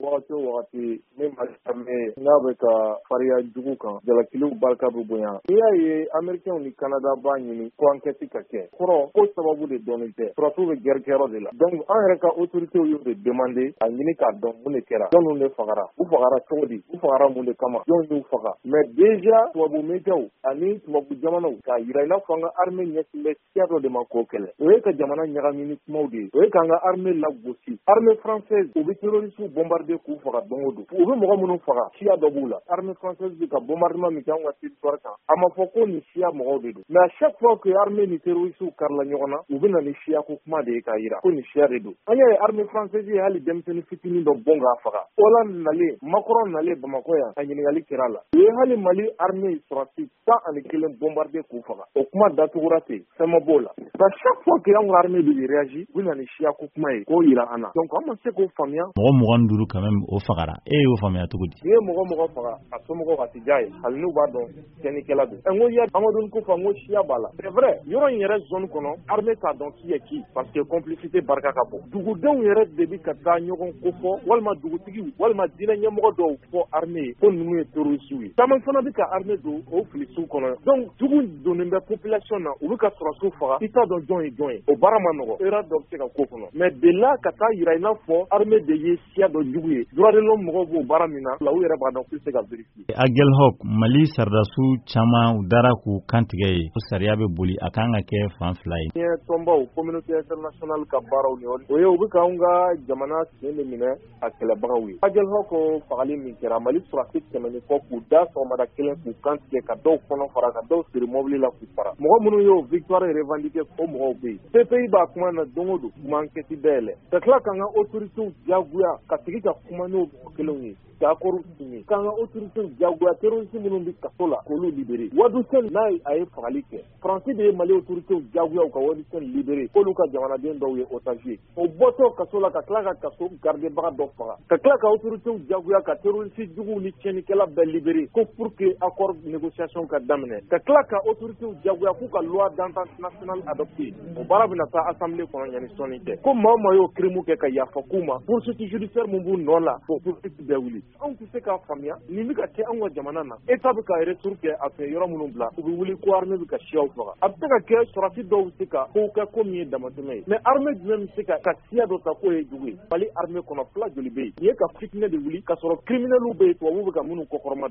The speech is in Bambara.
Wagati o wagati ni Mali armée n'a bɛ ka fariya jugu kan, jalakiliw barika bɛ bonya. N'i y'a ye Américains ni Canada b'a ɲini ko enquête ka kɛ, kɔrɔ ko sababu de dɔnnen tɛ. Sɔrɔdasiw bɛ guerre kɛyɔrɔ de la. Donc an yɛrɛ ka autorités y'o de demander a ɲini k'a dɔn mun de kɛra, jɔnniw de fagara, u fagara cogo di, u fagara mun de kama, jɔn y'u faga. Mais déjà tubabu médiaw ani tubabu jamanaw k'a yira i n'a fɔ an ka armée ɲɛsin bɛ siya dɔ de ma k'o kɛlɛ, o ye ka jamana ɲagami ni kumaw de ye, o ye k'an ka armée lagosi. Armée française, u bɛ terroristes bombarder k'u faga don o don. U bɛ mɔgɔ minnu faga, siya dɔ b'u la. Armée française bɛ ka bombardement min kɛ anw ka territoire kan, a ma fɔ ko nin siya mɔgɔw de don. Mais à chaque fois que armée ni terroristes karila ɲɔgɔn na, u bɛ na ni siya ko kuma de ye k'a yira ko nin siya de don. An y'a ye armée française ye hali denmisɛnnin fitinin dɔ bon k'a faga. Hollande nalen, Macron nalen Bamakɔ yan, a ɲininkali kɛra a la. U ye hali Mali armée sɔrɔdasi 11 bombarder k'u faga. O kuma datugura ten, fɛn ma b'o la. À chaque fois que anw ka armée bɛ réagir, u bɛ na ni siya ko kuma ye k'o yira an na. Donc an ma se k'o faamuya. Mɔgɔ 25 quand même o fagara, e y'o faamuya cogo di? N'i ye mɔgɔ mɔgɔ faga, a somɔgɔw a tɛ diya ye, hali n'u b'a dɔn tiɲɛnikɛla don. N ko ya Amadou Koufa, n ko siya b'a la. C'est vrai, yɔrɔ in yɛrɛ zone kɔnɔ, armée t'a dɔn qui est qui parce que complicité barika ka bon. Dugudenw yɛrɛ de bɛ ka taa ɲɔgɔn kofɔ, walima dugutigiw walima diinɛ ɲɛmɔgɔ dɔw fɔ armée ye ko ninnu ye terroristes ye. Caman fana bɛ ka armée don o filisiw kɔnɔ. Donc jugu donnen bɛ population na, u bɛ ka sɔrɔdasiw faga, i t'a dɔn jɔn ye jɔn ye. O baara ma nɔgɔ, erreur dɔ bɛ se ka k'o kɔnɔ. Mais de là ka taa yira i n'a fɔ armée de ye siya dɔ jugu ye, droit de l'homme mɔgɔw b'o baara min na, u yɛrɛ b'a dɔn k'u tɛ se ka vérifier. Aguelhok, Mali sɔrɔdasiw caman u dara k'u kantigɛ ye ko sariya bɛ boli, a kan ka kɛ fan fila ye. Diɲɛ tɔnbaw, communauté internationale ka baaraw ni o ye, u bɛ k'anw ka jamana sen de minɛ a kɛlɛbagaw ye. Aguelhok fagali min kɛra, Mali sɔrɔdasi 100 ni kɔ k'u da sɔgɔmada kelen k'u kantigɛ, ka dɔw kɔnɔ fara, ka dɔw siri mobili la k'u fara. Mɔgɔ minnu y'o victoire revendiquer, o mɔgɔw bɛ yen. CPI b'a kuma na don o don, u ma enquête dayɛlɛ. Ka tila k'an ka autorités diyagoya ka sigi ka kuma n'o mɔgɔ kelenw ye, ka accord signer, k'an ka autorités diyagoya terroristes minnu bɛ kaso la k'olu libérer. Wadou Sène n'a a ye fagali kɛ, Faransi de ye Mali autorités diyagoya u ka Wadou Sène libérer, k'olu ka jamanaden dɔw ye otage ye. O bɔtɔ kaso la ka tila ka kaso gardebaga dɔ faga, ka tila ka autorités diyagoya ka terroriste juguw ni tiɲɛnikɛla bɛɛ libérer ko pour que accord négociation ka daminɛ, ka tila ka autorités diyagoya k'u ka loi d'entente nationale adopter. O baara bɛna taa assemblée kɔnɔ yanni sɔnni cɛ. Ko maa o maa y'o crime kɛ, ka yafa k'u ma, poursuite judiciaire mun b'u nɔ la, k'o poursuite bɛɛ wuli. Anw tɛ se k'a faamuya nin bɛ ka kɛ anw ka jamana na. État bɛ ka retour kɛ a fɛ, yɔrɔ minnu bila, u bɛ wuli ko armée bɛ ka siyaw faga. A bɛ se ka kɛ sɔrɔdasi dɔw bɛ se ka kow kɛ ko min ye damatɛmɛ ye, mais armée jumɛn bɛ se ka siya dɔ ta k'o ye jugu ye? Mali armée kɔnɔ, fila joli bɛ yen? Nin ye ka fitinɛ de wuli ka sɔrɔ criminels bɛ yen, tubabuw bɛ ka minnu kɔkɔrɔma.